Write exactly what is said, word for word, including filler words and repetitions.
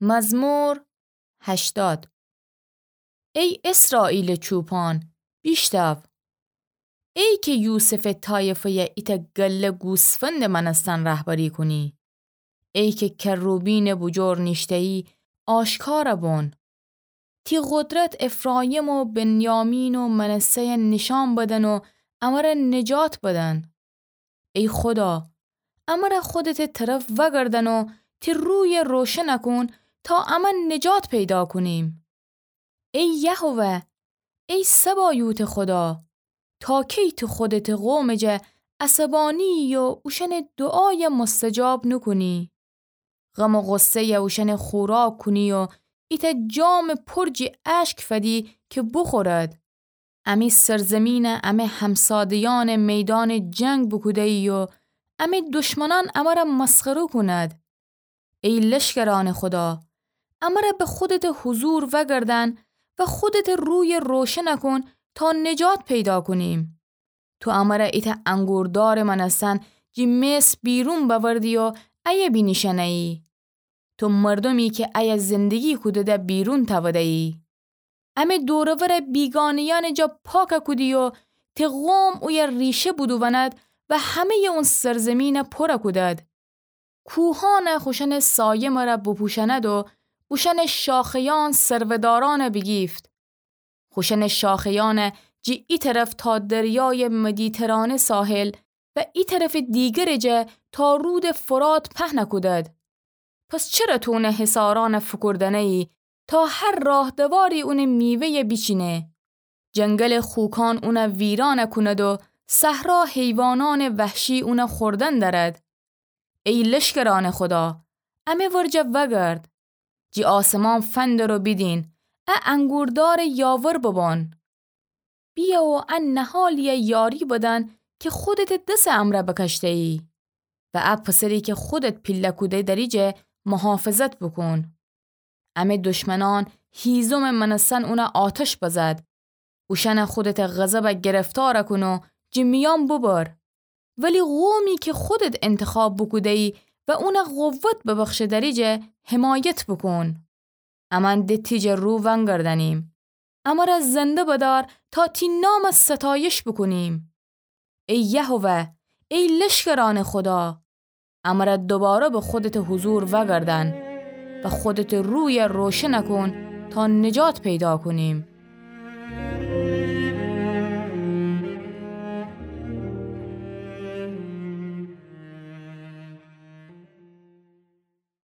مزمور هشتاد. ای اسرائیلٚ چوپان، بیشتاو! ای کی یوسفٚ طایفه‌یَ ایتأ گله گوسفندٚ مأنستن رهبری کونی، ای کی کروبیمٚ بوجور نیشته‌یی، آشکار بون. تی قدرت افراییم و بنیامین و منسه‌یَ نیشأن بدن و امره نجات بدن. ای خودا، امره خودتٚ طرف وأگردأن و تی رویَ روشن کون تا امه نجات پیدا کونیم. ای یهوه، ای سبایوتٚ خودا، تا کی تو خودتٚ قومٚ جا عصبانی‌یی و اوشأنٚ دوعایَ مستجاب نوکونی؟ غم و غصه‌یَ اوشأنَ خوراک کونی و ایتأ جامٚ پر جٚه اشک فدی کی بوخورد. امی سرزمینَ امه همساده‌یأنٚ میدانٚ جنگ بوکوده‌یی و امی دشمنأن امره مسخره کونید. ای لشکرأنٚ خودا، امره به خودتٚ حضور وأگردأن و خودتٚ رویَ روشن کون تا نجات پیدا کونیم. تو امره ایتأ انگوردارٚ مأنستن جٚه مصر بیرون بأوردی و ایه بینیشأنه‌یی. تو مردومی کی ایه زندگی کوده‌ده بیرون تأوده‌یی. امه دور و ورٚ بیگانه‌یأنٚ جا پاک کودی و تی قوم اویه ریشه بودووند و همه‌یٚ اون سرزمینَ پر کودد. کوهأن خوشأنٚ سایه مره بوپوشأند و اوشأنٚ شاخه‌یأن سرودارأن بیگیفت. خوشأنٚ شاخه‌یأن جٚه ای طرف تا دریایٚ مدیترانه ساحل و ای طرفٚ دیگرٚ جا تا رودٚ فرات پهن کودد. پس چره تو اونٚ حصارأن فوکوردنه‌یی تا هر راهدواری اونٚ میوه‌یَ بیچینه؟ جنگلٚ خوکأن اونَ ویران کونید و صحرا حیوانأنٚ وحشی اونَ خوردن دأرد. ای لشکرأنٚ خودا، امه ورجه وأگرد. جٚه آسمان فندر و بیدین، ا انگوردارٚ یاور ببون. بیه و ا نهالی‌یَ یاری بدن کی خودتٚ دسٚ امرأ بکشته‌یی و ا پسری کی خودت پیله کوده دریجه محافظت بوکون. امه دشمنأن هیزمٚ مأنستن اونَ آتش بزد. اوشأنَ خودتٚ غضب گرفتار کون و جٚه میأن ببر. ولی قومی کی خودت انتخاب بوکوده‌یی و اونَ قوت ببخشه دریجه حمایت بوکون. امأن د تی جا رو ونگردأنیم. امره زنده بدار تا تی نامَ ستایش بوکونیم. ای یهوه، ای لشکرأنٚ خودا، امره دوباره به خودتٚ حضور وأگردأن و خودتٚ رویَ روشن کون تا نجات پیدا کونیم.